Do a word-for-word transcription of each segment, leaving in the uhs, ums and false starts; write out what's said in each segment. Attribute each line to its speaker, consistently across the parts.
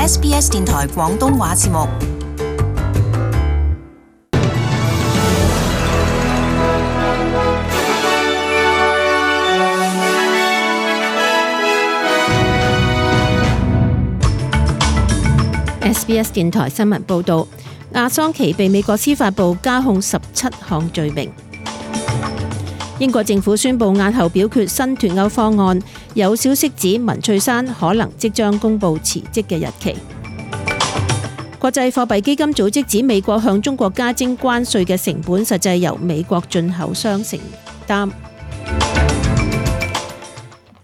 Speaker 1: S B S 電台廣東話節目。
Speaker 2: S B S 電台新聞報導，亞桑奇被美國司法部加控十七項罪名。英國政府宣布押後表決新脫歐方案，有消息指文翠珊可能即將公布辭職嘅日期。國際貨幣基金組織指美國向中國加徵關稅嘅成本實際由美國進口商承擔。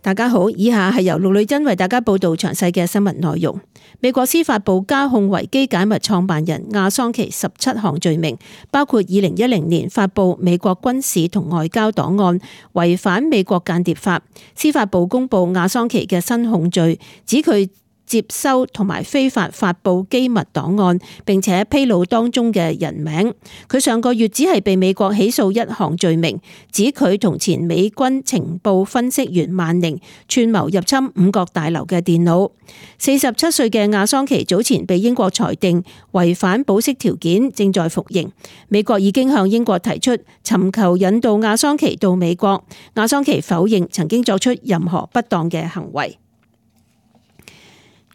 Speaker 2: 大家好，以下係由陸女珍為大家報道詳細嘅新聞內容。美國司法部加控維基解密創辦人亞桑奇十七項罪名，包括二零一零年發布美國軍事同外交檔案，違反美國間諜法。司法部公布亞桑奇嘅新控罪，指佢接收同埋非法發布機密檔案，並且披露當中嘅人名。佢上個月只係被美國起訴一項罪名，指佢同前美軍情報分析員萬寧串謀入侵五角大樓嘅電腦。四十七歲嘅亞桑奇早前被英國裁定違反保釋條件，正在服刑。美國已經向英國提出尋求引渡亞桑奇到美國。亞桑奇否認曾經作出任何不當嘅行為。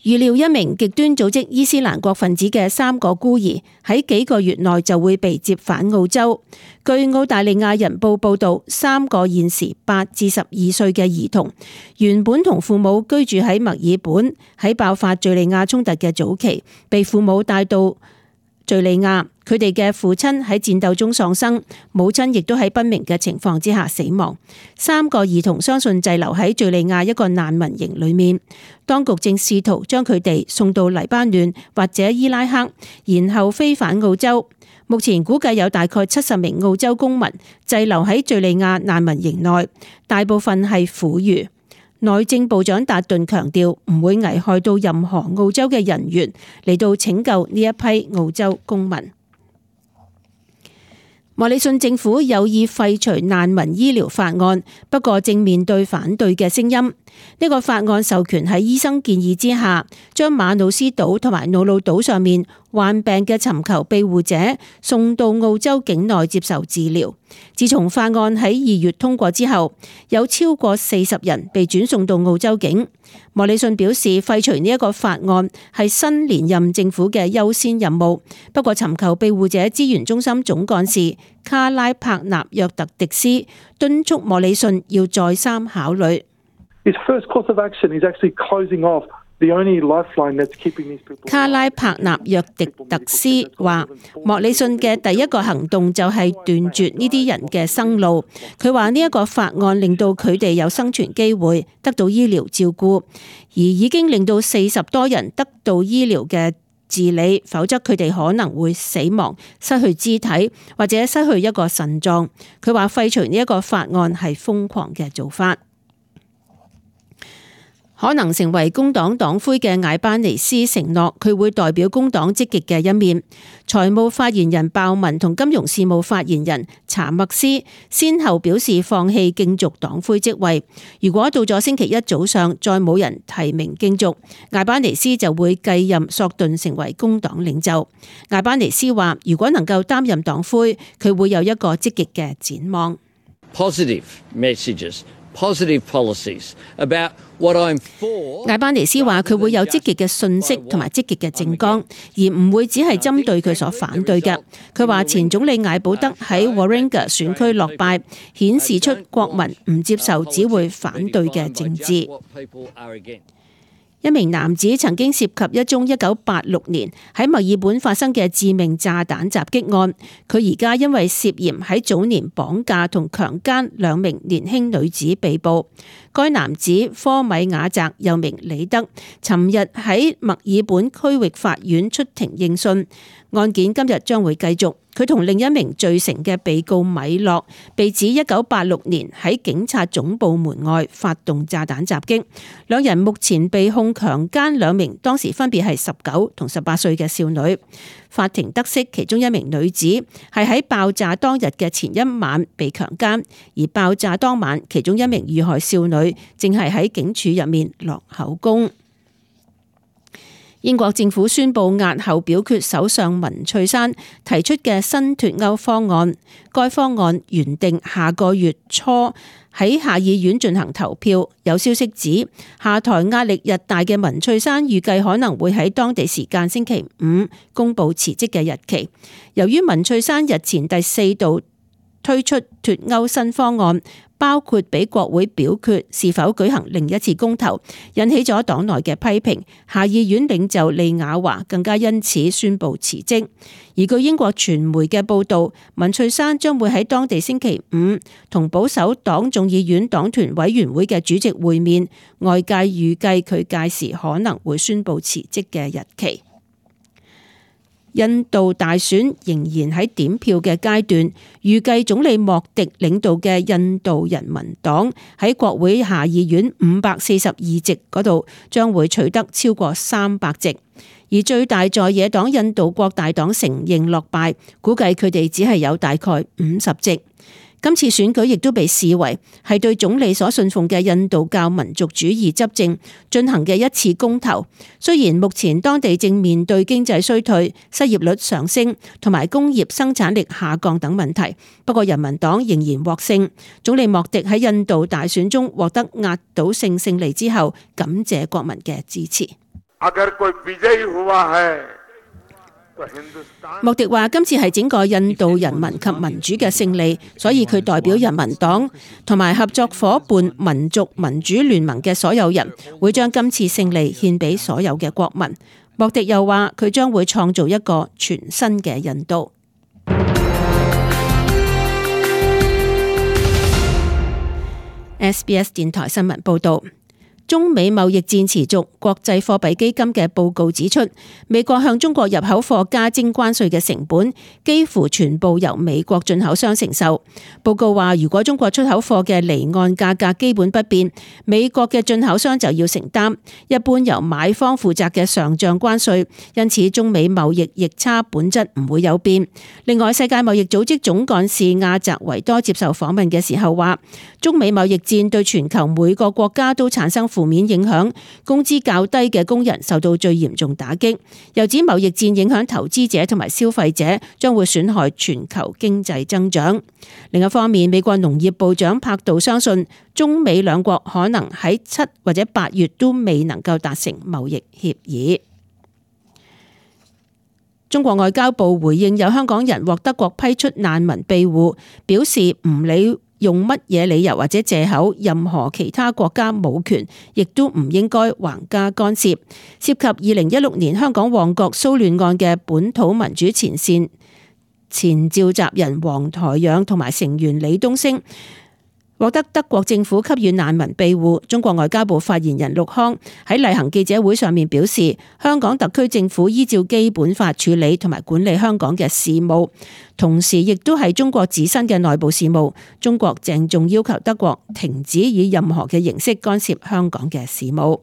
Speaker 2: 預料一名極端組織伊斯蘭國分子嘅三個孤兒喺幾個月內就會被接返澳洲。據澳大利亞人報報導，三個現時八至十二歲嘅兒童原本同父母居住喺墨爾本，喺爆發敘利亞衝突嘅早期被父母帶到敘利亞。佢哋嘅父親喺戰鬥中喪生，母親亦都喺不明嘅情況之下死亡。三個兒童相信滯留喺敘利亞一個難民營裏面，當局正試圖將佢哋送到黎巴嫩或者伊拉克，然後飛返澳洲。目前估計有大概七十名澳洲公民滯留喺敘利亞難民營內，大部分係婦孺。內政部長達頓強調唔會危害到任何澳洲嘅人員，嚟到拯救呢一批澳洲公民。莫里遜政府有意廢除難民醫療法案，不過正面對反對嘅聲音。呢個法案授權喺醫生建議之下，將馬努斯島同埋瑙魯島上面患病嘅尋求庇護者送到澳洲境內接受治療。自從法案喺二月通過之後，有超過四十人被轉送到澳洲境。莫里遜表示，廢除呢一個法案係新連任政府嘅優先任務。不過，尋求庇護者資源中心總幹事卡拉帕納約特迪斯敦促莫里遜要再三考慮。卡拉帕納約迪特斯話：莫里遜嘅第一個行動就係斷絕呢啲人嘅生路。佢話呢一個法案令到佢哋有生存機會，得到醫療照顧，而已經令到四十多人得到醫療嘅治理，否則佢哋可能會死亡、失去肢體或者失去一個腎臟。佢話廢除呢一個法案係瘋狂嘅做法。可能成為工黨黨魁嘅艾班尼斯承諾佢會代表工黨積極嘅一面。財務發言人鮑文同金融事務發言人查默斯先後表示放棄競逐黨魁職位。如果到咗星期一早上再冇人提名競逐，艾班尼斯就會繼任索頓成為工黨領袖。艾班尼斯話：如果能夠擔任黨魁，佢會有一個積極嘅展望。
Speaker 3: Positive messages, positive policies about what I'm for。
Speaker 2: 艾班尼斯話佢會有積極嘅訊息同埋積極嘅政綱，而唔會只係針對佢所反對嘅。佢話前總理艾保德喺 Warringah 選區落敗，顯示出國民唔接受只會反對嘅政治。一名男子曾經涉及一宗一九八六年喺墨爾本發生嘅致命炸彈襲擊案，佢而家因為涉嫌喺早年綁架同強姦兩名年輕女子被捕。該男子科米亞澤又名李德，尋日喺墨爾本區域法院出庭應訊，案件今日將會繼續。佢同另一名罪成嘅被告米洛被指一九八六年喺警察總部門外發動炸彈襲擊，兩人目前被控強姦兩名當時分別係十九同十八歲嘅少女。法庭得悉其中一名女子係喺爆炸當日嘅前一晚被強姦，而爆炸當晚其中一名遇害少女正係喺警署入面落口供。英國政府宣布押後表決首相文翠珊提出嘅新脫歐方案，該方案原定下個月初喺下議院進行投票。有消息指，下台壓力日大嘅文翠珊預計可能會喺當地時間星期五公布辭職嘅日期。由於文翠珊日前第四度推出脫歐新方案，包括俾國會表決是否舉行另一次公投，引起咗黨內嘅批評。下議院領袖利雅華更加因此宣布辭職。而據英國傳媒嘅報導，文翠珊將會喺當地星期五同保守黨眾議院黨團委員會嘅主席會面，外界預計佢屆時可能會宣布辭職嘅日期。印度大選仍然喺點票嘅階段，預計總理莫迪領導嘅印度人民黨喺國會下議院五百四十二席嗰度將會取得超過三百席，而最大在野黨印度國大黨承認落敗，估計佢哋只係有大概五十席。今次選舉亦都被視為係對總理所信奉嘅印度教民族主義執政進行嘅一次公投。雖然目前當地正面對經濟衰退、失業率上升同埋工業生產力下降等問題，不過人民黨仍然獲勝。總理莫迪喺印度大選中獲得壓倒性勝利之後，感謝國民嘅支持。莫迪話：今次係整個印度人民及民主嘅勝利，所以佢代表人民黨同埋合作夥伴民族民主聯盟嘅所有人，會將今次勝利獻俾所有嘅國民。莫迪又話：佢將會創造一個全新嘅印度。S B S 電台新聞報道。中美貿易戰持續，國際貨幣基金嘅報告指出，美國向中國入口貨加徵關稅嘅成本幾乎全部由美國進口商承受。報告話，如果中國出口貨嘅離岸價格基本不變，美國嘅進口商就要承擔一般由買方負責嘅上漲關稅，因此中美貿易逆差本質唔會有變。另外，世界貿易組織總幹事亞澤維多接受訪問嘅時候話，中美貿易戰對全球每個國家都產生負面影響，工資較低嘅工人受到最嚴重打擊。又指貿易戰影響投資者同埋消費者，將會損害全球經濟增長。另一方面，美國農業部長柏杜相信，中美兩國可能喺七或者八月都未能夠達成貿易協議。中國外交部回應有香港人獲德國批出難民庇護，表示唔理用乜嘢理由或者借口，任何其他國家冇權，亦都唔應該橫加干涉。涉及二零一六年香港旺角騷亂案嘅本土民主前線前召集人黃台仰同埋成員李東升，獲得德國政府給予難民庇護。中國外交部發言人陸康喺例行記者會上面表示，香港特區政府依照基本法處理同埋管理香港嘅事務，同時亦都係中國自身嘅內部事務。中國鄭重要求德國停止以任何嘅形式干涉香港嘅事務。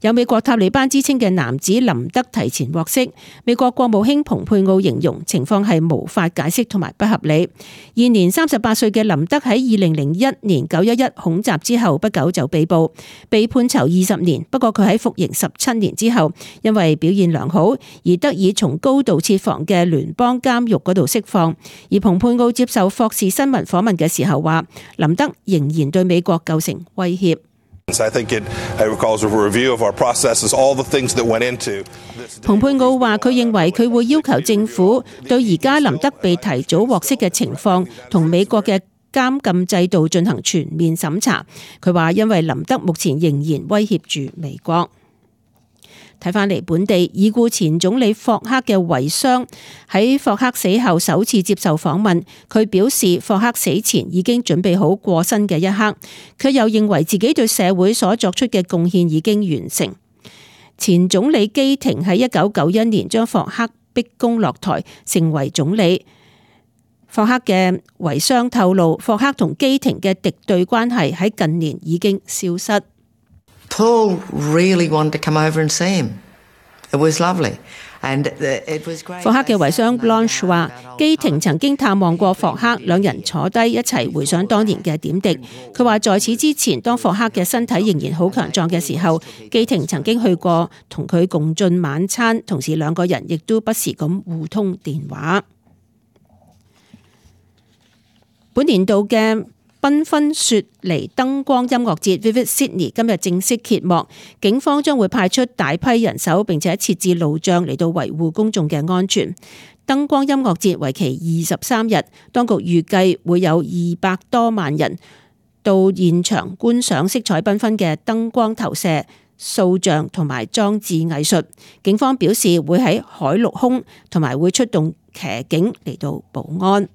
Speaker 2: 有美國塔利班之稱嘅男子林德提前獲釋，美國國務卿蓬佩奧形容情況係無法解釋同埋不合理。現年三十八歲嘅林德喺二零零一年九一一恐襲之後不久就被捕，被判囚二十年。不過佢喺服刑十七年之後，因為表現良好而得以從高度設防嘅聯邦監獄嗰度釋放。而蓬佩奧接受霍士新聞訪問嘅時候話，林德仍然對美國構成威脅。蓬佩奧話：佢認為佢會要求政府對而家林德被提早獲釋嘅情況同美國嘅監禁制度進行全面審查。佢話因為林德目前仍然威脅住美國。睇返嚟本地，已故前總理霍克嘅遺孀喺霍克死後首次接受訪問，佢表示霍克死前已經準備好過身嘅一刻，佢又認為自己對社會所作出嘅貢獻已經完成。前總理基廷喺一九九一年將霍克逼宮落台，成為總理。霍克嘅遺孀透露，霍克同基廷嘅敵對關係喺近年已經消失。
Speaker 4: Paul really wanted to come over and see him. It was lovely.
Speaker 2: 霍克嘅遺孀 Blanche 話，基廷曾經探望過霍克，兩人坐低一齊回想當年嘅點滴。佢話在此之前，當霍克嘅身體仍然好強壯嘅時候，基廷曾經去過同佢共進晚餐，同時兩個人亦都不時咁互通電話。本年度嘅繽紛雪梨燈光音樂節 Vivid Sydney 今日正式揭幕，警方將會派出大批人手，並且設置路障嚟到維護公眾嘅安全。燈光音樂節為期二十三日，當局預計會有二百多萬人到現場觀賞色彩繽紛嘅燈光投射、塑像同埋裝置藝術。警方表示會喺海陸空同埋會出動騎警嚟到保安。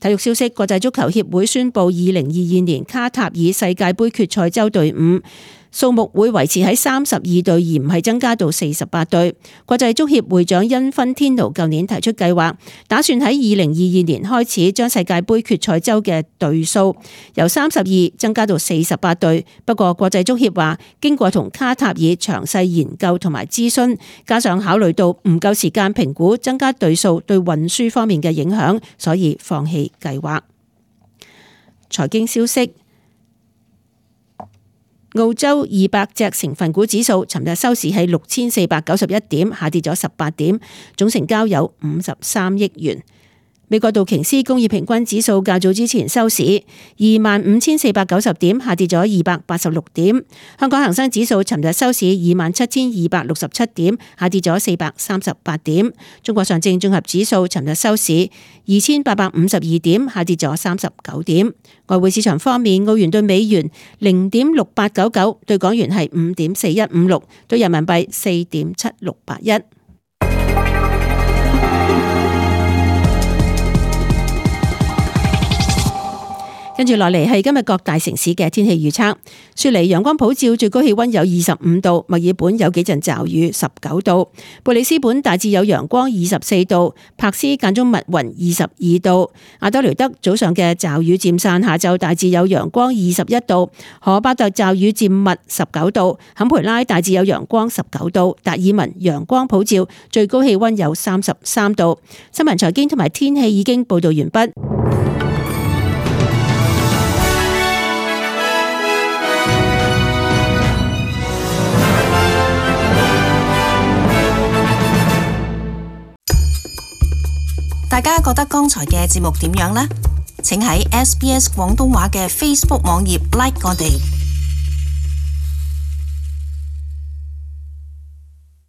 Speaker 2: 體育消息，國際足球協會宣布，二零二二年卡塔爾世界盃決賽周隊伍數目會維持喺三十二隊，而唔係增加到四十八隊。國際足協會長因芬天奴舊年提出計劃，打算喺二零二二年開始將世界盃決賽周嘅隊數由三十二增加到四十八隊。不過國際足協話，經過同卡塔爾詳細研究同埋諮詢，加上考慮到唔夠時間評估增加隊數對運輸方面嘅影響，所以放棄計劃。財經消息。澳洲二百隻成分股指數尋日收市係六千四百九十一點，下跌咗十八點，總成交有五十三億元。美國道瓊斯工業平均指數較早之前收市二萬五千四百九十點，下跌咗二百八十六點。香港恒生指數尋日收市二萬七千二百六十七點，下跌咗四百三十八點。中國上證綜合指數尋日收市二千八百五十二點，下跌咗三十九點。外匯市場方面，澳元對美元零點六八九九，對港元係五點四一五六，對人民幣四點七六八一。跟住落嚟係今日各大城市嘅天氣預測。雪梨陽光普照，最高氣溫有二十五度；墨爾本有幾陣驟雨，十九度；貝里斯本大致有陽光，二十四度；柏斯間中密雲，二十二度；阿德雷德早上嘅驟雨漸散，下晝大致有陽光，二十一度；荷巴特驟雨漸密，十九度；坎培拉大致有陽光，十九度；達爾文陽光普照，最高氣溫有三十三度。新聞財經同埋天氣已經報道完畢。
Speaker 1: 大家覺得剛才嘅節目點樣呢？請喺 S B S 廣東話嘅 Facebook 網頁 like 我哋。